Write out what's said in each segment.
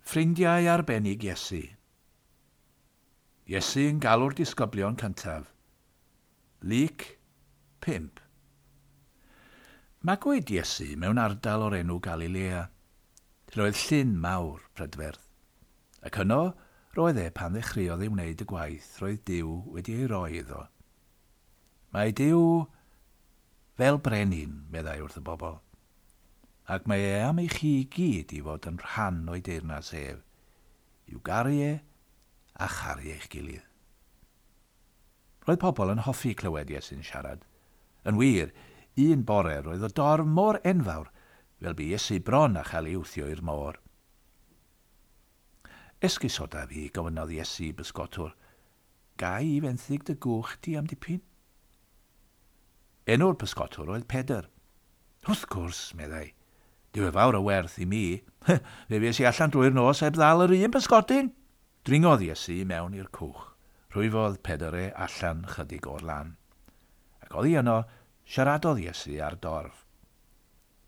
Ffrindiau arbennig Iesu. Iesu yn galw'r disgyblion cyntaf. Luc 5. Magwyd Iesu mewn ardal o'r enw Galilea, lle oedd llyn mawr prydferth. Ac yno roedd e pan ddechreuodd ei wneud y gwaith roedd Duw wedi ei roi iddo. Mae Duw fel brenin, meddai wrth y bobl, ac mae e am i chi i gyd i fod yn rhan o'i deyrnas ef, i'w garu e a charu eich gilydd. Roedd pobl yn hoffi clywed Iesu'n siarad. Yn wir, un bore roedd y dorf mor enfawr fel bu Iesu bron a chael ei wthio i'r môr. Esgusoda fi, gofynnodd Iesu i bysgotwr, ga i fenthyg dy gwch di am dipyn? Enw'r pysgotwr oedd Pedr. Wrth gwrs, meddai, dyw e fawr o werth i mi. Fe fues i allan drwy'r nos heb ddal yr un pysgodyn. Dringodd Iesu i mewn i'r cwch. Rhwyfodd Pedr e allan chydig o'r lan. Ac oddi yno, siaradodd Iesu â'r dorf.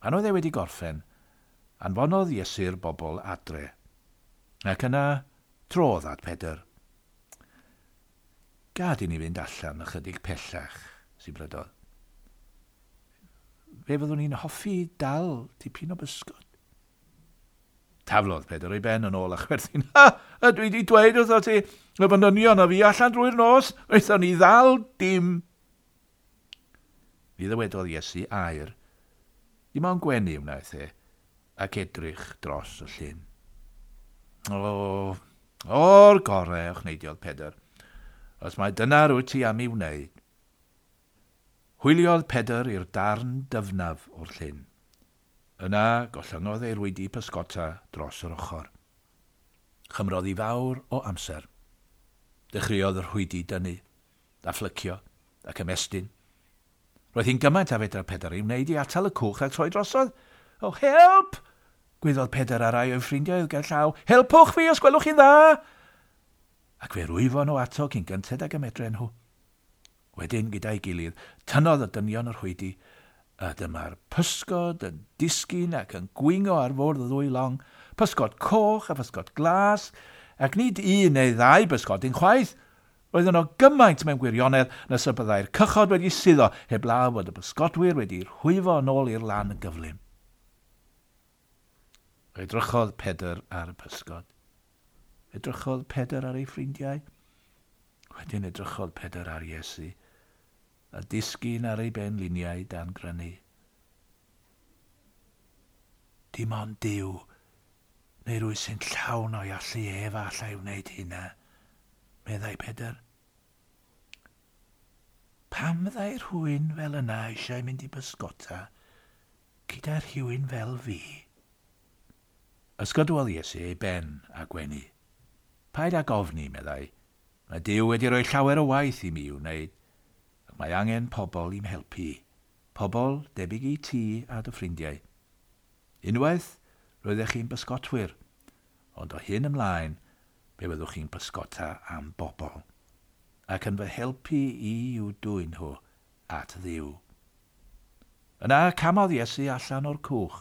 Pan oedd e wedi gorffen, anfonodd Iesu'r bobl adre. Ac yna, trodd at Pedr. Gad i ni fynd allan ychydig pellach, sibrydodd. Fe fyddwn i'n hoffi dal tipyn o bysgod. Taflodd Pedr ei ben yn ôl a chwerthin. Ha! Ydw i wedi dweud wrtho ti, y fy nynion a fi allan drwy'r nos, wnaethon ni ddal dim. Ni ddywedodd Iesu air. Dim ond gwenu wnaeth e, ac edrych dros y llyn. O, o'r gorau, ochneidiodd Pedr. Os mai dyna rwyt ti am ei wneud. Hwyliodd Pedr i'r darn dyfnaf o'r llyn. Yna, gollyngodd ei rwydi pysgota dros yr ochr. Chymrodd hi fawr o amser. Dechreuodd y rhwydi dynnu, a phlycio, ac ymestyn. Roedd hi'n gymaint a fedra Pedr ei wneud i atal y cwch rhag troi drosodd. O, help! Gwaeddodd Pedr ar rai o'i ffrindiau oedd gerllaw. Helpwch fi os gwelwch chi'n dda! Ac fe rwyfon nhw ato cyn gynted ag y medren nhw. Wedyn, gyda'i gilydd, tynnodd y dynion y rhwydi, a dyma'r pysgod yn disgyn ac yn gwingo ar fwrdd y ddwy long, pysgod coch a physgod glas, ac nid un neu ddau bysgodyn chwaith. Roedd yno gymaint mewn gwirionedd nes y byddai'r cychod wedi suddo heblaw fod y pysgodwyr wedi rhwyfo yn ôl i'r lan yn gyflym. Edrychodd Pedr ar y pysgod. Edrychodd Pedr ar ei ffrindiau. Wedyn edrychodd Pedr ar Iesu, a disgyn ar ei benliniau dan grynu. Dim ond Duw, neu rwy sy'n llawn o'i allu ef a allai wneud hynna, meddai Pedr. Pam fyddai rhywun fel yna eisiau mynd i bysgota gyda rhywun fel fi? Ysgydwodd Iesu ei ben a gwenu. Paid ag ofni, meddai, Mae Duw wedi rhoi llawer o waith i mi i'w wneud, ac mae angen pobl i'm helpu, pobl debyg i ti a dy ffrindiau. Unwaith, roeddech chi'n bysgotwyr, ond o hyn ymlaen, fe fyddwch chi'n pysgota am bobl, ac yn fy helpu i i'w dwyn nhw at Dduw. Yna camodd Iesu allan o'r cwch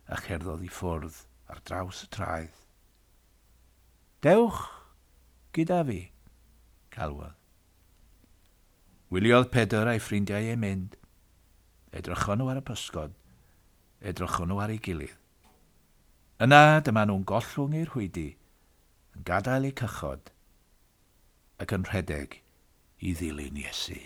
a cherddodd i ffwrdd ar draws y traeth. Dewch gyda fi, galwodd. Wyliodd Pedr a'i ffrindiau ei mynd. Edrychon nhw ar y pysgod. Edrychon nhw ar ei gilydd. Yna dyma nhw'n gollwng eu rhwydi, yn gadael eu cychod, ac yn rhedeg i ddilyn Iesu.